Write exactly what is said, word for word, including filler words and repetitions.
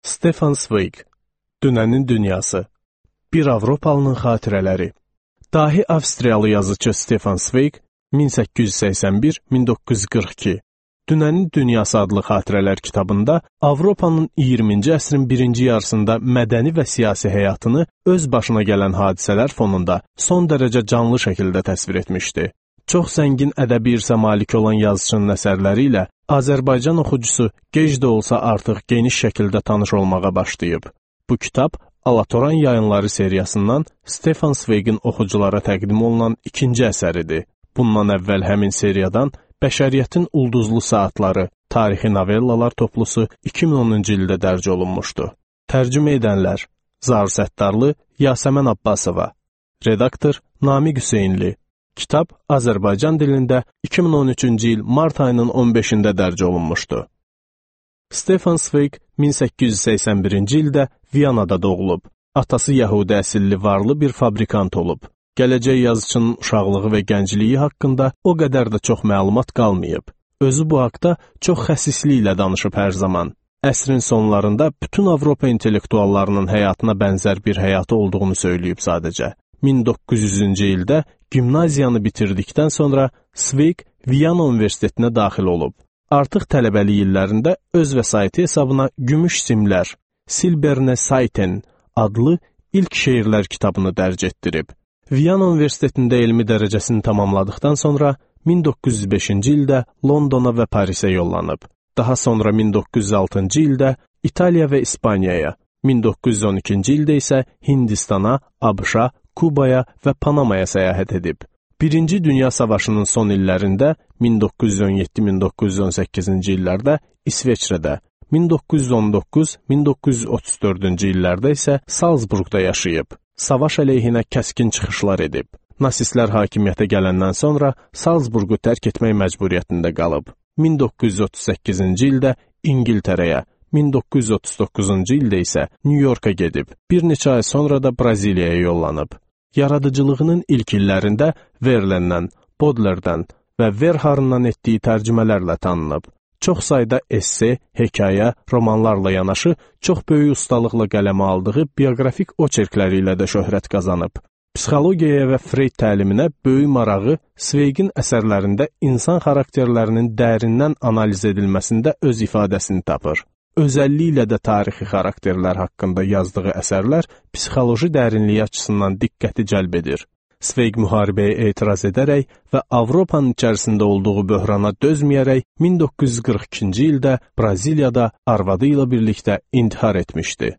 Stefan Zweig, Dünənin Dünyası, Bir Avropalının Xatirələri. Dahi Avstriyalı yazıcı Stefan Zweig min səkkiz yüz səksən bir - min doqquz yüz qırx iki Dünənin Dünyası adlı xatirələr kitabında Avropanın iyirminci əsrin birinci yarısında mədəni və siyasi həyatını öz başına gələn hadisələr fonunda son dərəcə canlı şəkildə təsvir etmişdi. Çox zəngin ədəbi irsə malik olan yazıçının əsərləri ilə Azərbaycan oxucusu gec də olsa artıq geniş şəkildə tanış olmağa başlayıb. Bu kitab Alatoran Yayınları seriyasından Stefan Zweigin oxuculara təqdim olunan ikinci əsəridir. Bundan əvvəl həmin seriyadan Bəşəriyyətin Ulduzlu Saatları, tarixi novellalar toplusu iki min onuncu ildə dərc olunmuşdu. Tərcümə edənlər: Zaur Səttarlı, Yasəmən Abbasova. Redaktor: Namiq Hüseynli. Kitab Azərbaycan dilində iki min on üçüncü il mart ayının on beşində dərc olunmuşdu. Stefan Zweig min səkkiz yüz səksən birinci ildə Viyanada doğulub. Atası Yəhudi əsilli varlı bir fabrikant olub. Gələcək yazıçının uşaqlığı və gəncliyi haqqında o qədər də çox məlumat qalmayıb. Özü bu haqda çox xəsisliklə danışıb hər zaman. Əsrin sonlarında bütün Avropa intellektuallarının həyatına bənzər bir həyatı olduğunu söyləyib sadəcə. min doqquz yüzüncü ildə gimnaziyanı bitirdikdən sonra Zweig Viyana Universitetinə daxil olub. Artıq tələbəlik illərində öz vəsaiti hesabına Gümüş Simlər, Silberne Seiten adlı ilk şeirlər kitabını dərc etdirib. Viyana Universitetində elmi dərəcəsini tamamladıqdan sonra min doqquz yüz beşinci ildə Londona və Parisə yollanıb. Daha sonra min doqquz yüz altıncı ildə İtaliya və İspaniyaya, min doqquz yüz on ikinci ildə isə Hindistana, ABŞ-a, Kubaya və Panamaya səyahət edib. Birinci Dünya Savaşının son illərində min doqquz yüz on yeddi - min doqquz yüz on səkkizinci illərdə İsveçrədə, min doqquz yüz on doqquz - min doqquz yüz otuz dördüncü illərdə isə Salzburqda yaşayıb. Savaş əleyhinə kəskin çıxışlar edib. Nasistlər hakimiyyətə gələndən sonra Salzburqu tərk etmək məcburiyyətində qalıb. min doqquz yüz otuz səkkizinci ildə İngiltərəyə, min doqquz yüz otuz doqquzuncu ildə isə Nyu-Yorka gedib. Bir neçə ay sonra da Braziliyaya yollanıb. Yaradıcılığının ilk illərində Verlaindən, Baudelaire-dən və Verharendan etdiyi tərcümələrlə tanınıb. Çox sayda esse, hekayə, romanlarla yanaşı çox böyük ustalıqla qələmə aldığı bioqrafik oçerkləri ilə də şöhrət qazanıb. Psixologiyaya və Freyd təliminə böyük marağı Zweigin əsərlərində insan xarakterlərinin dərindən analiz edilməsində öz ifadəsini tapır. Özəlliklə də tarixi xarakterlər haqqında yazdığı əsərlər psixoloji dərinliyi açısından diqqəti cəlb edir. Zweig müharibəyə etiraz edərək və Avropanın içərisində olduğu böhrana dözməyərək min doqquz yüz qırx ikinci ildə Braziliyada arvadı ilə birlikdə intihar etmişdi.